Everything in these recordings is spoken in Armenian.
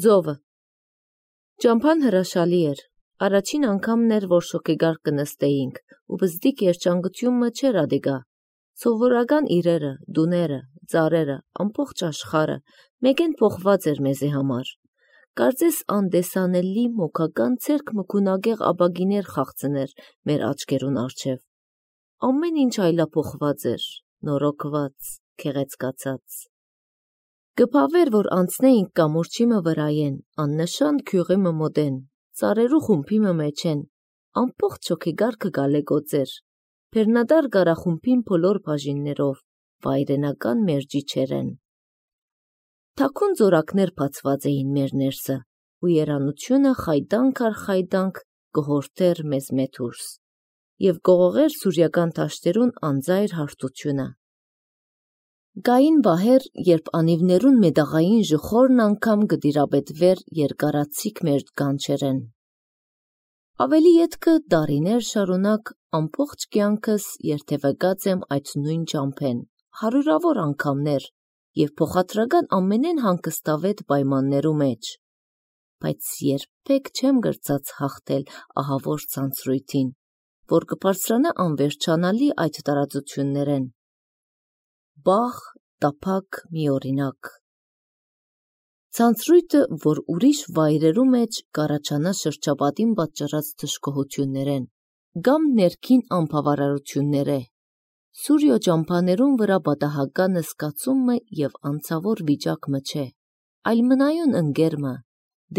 Ձովը Ճամփան հրաշալի էր, առաջին անգամն էր, որ շոգեգար կնստեինք, ու բզդիկ երջանկությունը չէր ադիգա, սովորական իրերը, դուները, ծառերը, ամբողջ աշխարհը, մեկեն փոխված էր մեզի համար, կարծես անդեսանելի մոքական ցերկ մքունագեղ աբագիներ խաղցներ մեր աչքերուն առջև, ամեն ինչ այլափոխված էր, նորոգված, քեղեցկացած, Գպավեր, որ անցնեինք կամուրջիմը վրայեն, աննշան քյուղիմը մոդեն, ծառերու խումբիմը մեջեն, ամբողջ շոգեգարքը գալեգոծեր, Բեռնադար գարախումբին բոլոր բաժիններով, վայրենական մերջիչերեն։ Թաքուն զորակներ բացված էին մեր ներսը, ու երանությունը խայդանք առ խայդանք կհորթեր մեզ մեթուրս, և գողողեր սուրյական տաշտերուն անձայր հարթությունը։ Գային բահեր, երբ անիվներուն մեդաղային ժխորն անգամ գդիրաբետվեր երկարացիկ մեր գանչերեն։ Ավելի ետքը դարիներ շարունակ ամբողջ կյանքս երթևեկած եմ այդ նույն ճամփեն, հարյուրավոր անգամներ և փոխադրական ամենեն հանգստավետ պայմաններու մեջ, բայց երբեք չեմ գրծած հաղթել ահավոր ցանցրույթին, որ կբարձրանա անվերջանալի այդ տարածություններեն։ Բաղ, տափակ մի օրինակ։ Ցանցրույթը, որ ուրիշ վայրերու մեջ կառաջանա շրջապատին պատճառած թշկողություններեն, կամ ներքին անբավարարությունները, Սուրյո ճամփաներուն վրա պատահականը սկացումը և անցավոր վիճակը չէ, այլ մնայուն ընկերմը,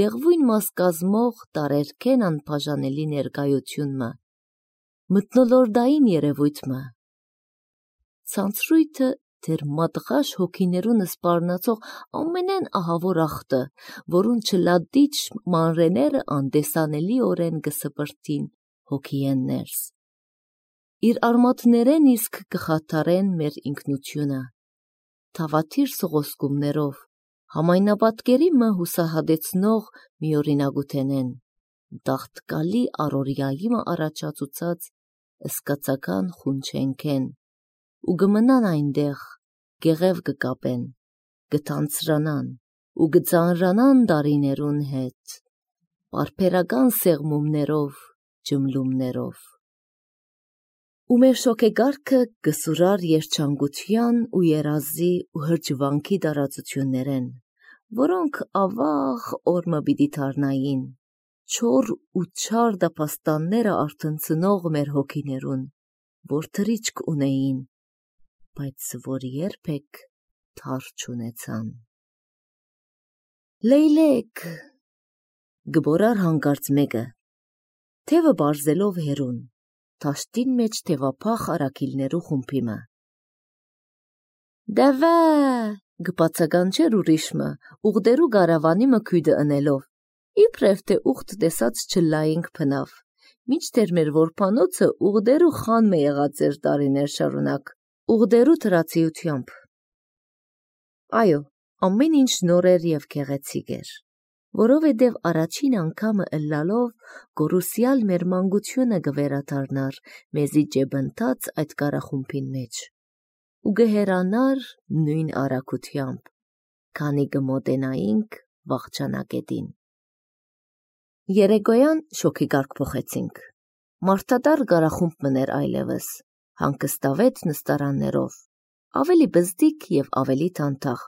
դեղվույն մաս կազմող տարերքեն անբաժանելի ներկայությունը, մթնոլորտային երևույթը։ Ցանցրույթը դեր մատղաշ հոգիներուն սպառնացող ամենեն ահավոր ախտը, որուն չլադիչ մանրեները անդեսանելիորեն կսպրտին հոգիեն ներս։ Իր արմատներեն իսկ կխաթարեն մեր ինքնությունը, թավաթիր սողոսկումներով, համայնապատկերիմը հուսահատեցնող մի օրինագութենեն, դաղտկալի առօրյայիմը առաջացուցած սկացական խունչենքեն, ու գմնան այնտեղ, գեղև կկապեն, կթանցրանան ու կծանրանան դարիներուն հետ, պարբերական սեղմումներով, ջմլումներով։ Ու մեր շոգեգարքը կսուրար երջանկության ու երազի ու հրճվանքի տարածություններեն, որոնք ավաղ օրմը պիտի դառնային, չոր ու չար դապաստանները արթնցնող մեր հոգիներուն, որ թրիչք ունեին, բայց որ երբեք թար չունեցան։ Լեյլեք, գբորար հանկարծ մեկը, թևը բարձելով հերուն, թաշտին մեջ թևափախ արաքիլներու խումբիմը։ Դավա, գբացականչեր ուրիշմը, ուղդերու գարավանիմը քույդը ընելով, իբրև թե ուղդ տեսած չլայինք փնավ, մինչդեռ մեր որբանոցը ուղդերու խանմը եղած էր տարիներ շարունակ, ուղդերու թրացիությամբ։ Այո, ամեն ինչ նոր էր և գեղեցիկ էր, որովհետև առաջին անգամը ըլլալով գորուսյալ մեր մանկությունը կվերադառնար մեզի ջեբընթաց այդ կառախումբին մեջ, ու կհեռանար նույն արագությամբ, քանի կմոտենայինք վախճանակետին։ Երեկոյան շոգեգարք փոխեցինք, մարդատար կառախումբ մներ այլևս, հանգստավետ նստարաններով, ավելի բզդիկ և ավելի թանթաղ,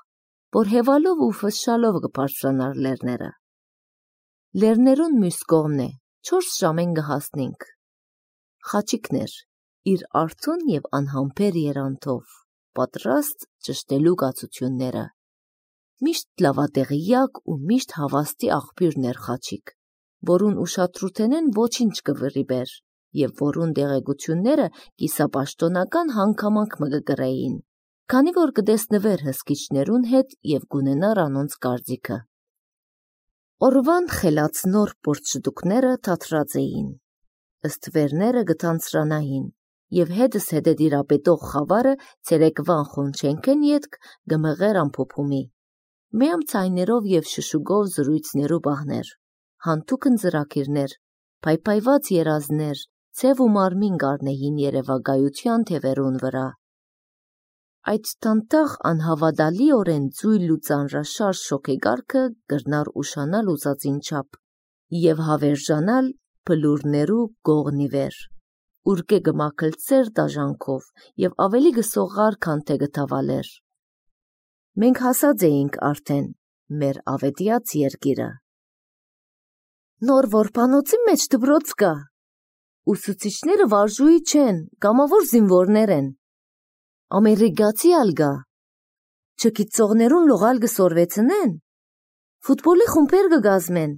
որ հևալով ու ֆշշալով կբարձրանար լեռները։ Լեռներուն մյուս կողմն է, 4 ժամեն կհասնենք։ Խաչիկներ, իր արթուն և անհամբեր երանթով, պատրաստ ճշտելու կացությունները։ Միշտ լավատեղյակ ու միշտ հավաստի աղբյուրներ խաչիկ, որուն ուշադրութենեն ոչինչ կվրիբեր, և որուն տեղեկությունները կիսապաշտոնական հանգամանք մը կգրեին, քանի որ կտեսնվեր հսկիչներուն հետ և կունենար անոնց կարծիքը։ Օրվան խելացնոր պորտշտուկները թատրած էին, ըստվերները կթանցրանային, և հետս հետը դիրապետող խավարը ցերեկվան խոնչենքեն ետք կմղեր ամփոփումի, միամ ցայներով և շշուկով զրույցներու բահներ, հանթուք ընձրակիրներ, փայփայված երազներ, ցև ու մարմին կառնեին երևակայության թևերուն վրա։ Այդ տանտաղ անհավատալիորեն ձույլ ու ծանրաշարժ շոգեգարքը կրնար ուշանալ ուզածին չափ և հավերժանալ բլուրներու գողնի վեր, ուրկե գմակլցեր դաժանքով և ավելի գսողար, քան թե գթավալեր։ Մենք հասած էինք արդեն մեր ավետյաց երկիրը։ Նոր որբանոցի մեջ դպրոց կա։ Ուսուցիչները վարժուհի չեն, կամավոր զինվորներ են։ Ամերիկացի ալ գա։ Չգիտողներուն լողալ կսորվեցնեն։ Ֆուտբոլի խումբեր կգազմեն։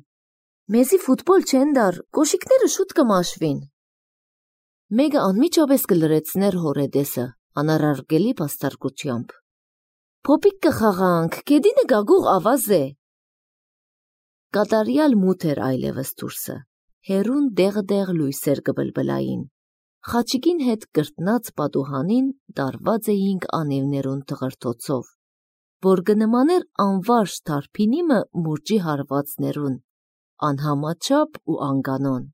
Մեզի ֆուտբոլ չեն դար, կոշիկները շուտ կմաշվին։ Մեկը անմիջապես կլրեցներ հորեդեսը, անարարգելի բաստարկությամբ։ Փոպիկ կխաղանք, կեդինը գագուղ ավազ է։ Կատարյալ մութ էր այլևս դուրսը, հերուն դեղը-դեղ լույսեր կբլբլային։ Խաչիկին հետ կրտնած պատուհանին տարված էինք անիվներուն թղրթոցով, որ կնմաներ անվարժ թարփինիմը մուրճի հարվածներուն, անհամաչափ ու անկանոն։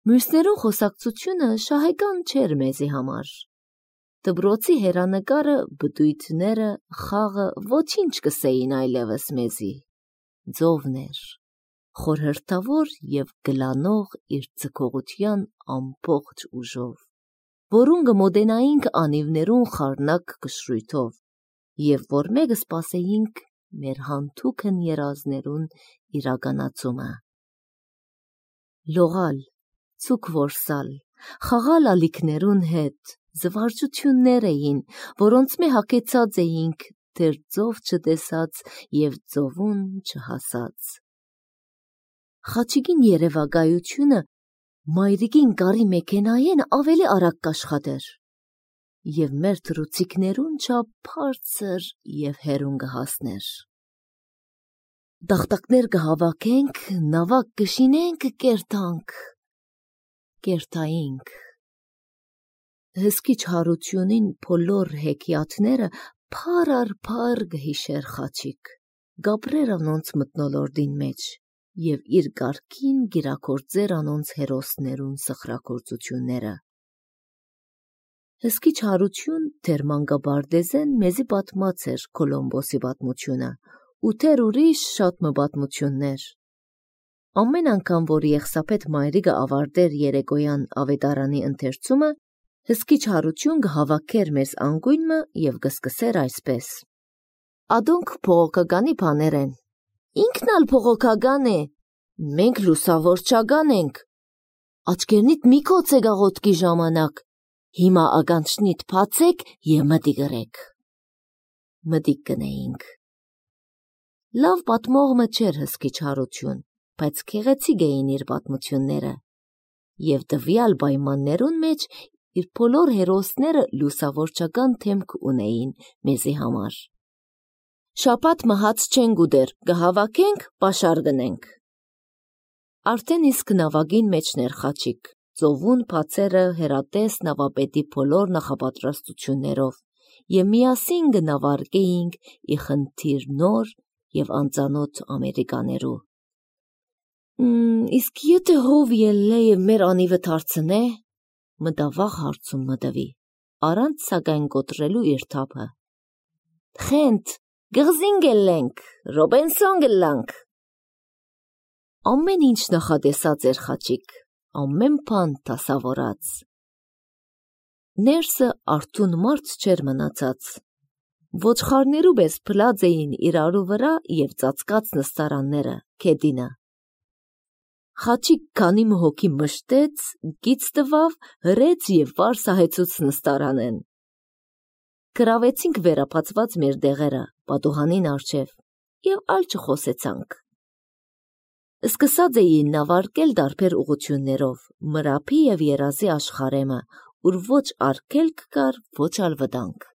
Մյուսներուն խոսակցությունը շահեկան չէր մեզի համար։ Դպրոցի հերանեկարը, բդույթները, խաղը ոչինչ կսեին այլևս մեզի։ Ձովներ, խորհրդավոր և գլանող իր ձգողության ամբողջ ուժով, որուն կմոտենայինք անիվներուն խառնակ կշռույթով և որ մեկը սպասեինք մեր հանթուքն երազներուն իրականացումը։ Լողալ, ցուկ որսալ, խաղալ ալիքներուն հետ, զվարճություններ էին, որոնց մե հագեցած էինք դեռ ձով չտեսած և ձովուն չհասած։ Խաչիկին երևակայությունը մայրիկին կարի մեքենայեն ավելի արագ կաշխատեր և մեր թռուցիկներուն չափ բարձր և հեռուն կհասներ։ Տախտակներ կհավաքենք, նավակ կշինենք, կերտայինք։ Հսկիչ հարությունին բոլոր հեքիաթները փար առ փար կհիշեր Խաչիկ, կապրեր անոնց մթնոլորտին մեջ և իր կարգին կիրագործեր անոնց հերոսներուն սխրագործությունները։ Հսկիչ հարություն դեռ մանկաբարձեն մեզի պատմած էր Կոլումբոսի պատմությունը ու դեռ ուրիշ շատ մը պատմություններ։ Ամեն անգամ, որ Եղսափետ մայրիկը ավարտեր երեկոյան ավետարանի ընթերցումը, հսկիչ հարություն կհավաքեր մեզ անգույնը և կսկսեր այսպես. Ադոնք փողոքականի բաներ են։ Ինքն ալ փողոքական է։ Մենք լուսավորչական ենք։ Աչքերնիդ մի կոց է գաղոտքի ժամանակ։ Հիմա ականջնիդ բացեք և մտիկ ըրեք։ Մտիկ կնեինք։ Լավ պատմողը չէր հսկիչ հարություն, բայց գեղեցիկ էին իր պատմությունները և տվյալ պայմաններուն մեջ իր բոլոր հերոսները լուսավորչական դեմք ունեին մեզի համար։ Շաբաթ մահաց չենք ուտեր, կհավաքենք, պաշար կնենք։ Արդեն իսկ նավակին մեջն էր Խաչիկ, ծովուն բացերը հերատես նավապետի բոլոր նախապատրաստություններով և միասին կնավարկեինք ի խնդիր նոր և անծանոթ ամերիկաներու։ Իսկ եթե հով ելնե և մեր անիվը թարցնե, մտավախ հարցում մտվի, առանց սակայն կոտրելու իր թափը։ Խենթ, գղզին գելենք, Ռոբենսոն գլանք։ Ամեն ինչ նախատեսած էր Խաչիկ, ամեն բան դասավորած։ Ներսը արթուն մարդ չէր մնացած։ Ոչխարներու պես փլած էին իրարու վրա և ծածկած նստարանները, քեդինը։ Խաչիկ քանի մը հոգի մշտեց, գիծ տվավ, հրեց և վար սահեցուց նստարանեն։ Գրավեցինք վերապացված մեր դեղերը, պատուհանին առջև և ալ չխոսեցանք։ Սկսած էին նավարկել տարբեր ուղղություններով, մրափի և երազի աշխարհեմը, ուր ոչ արգելք կար, ոչ ալ վտանգ։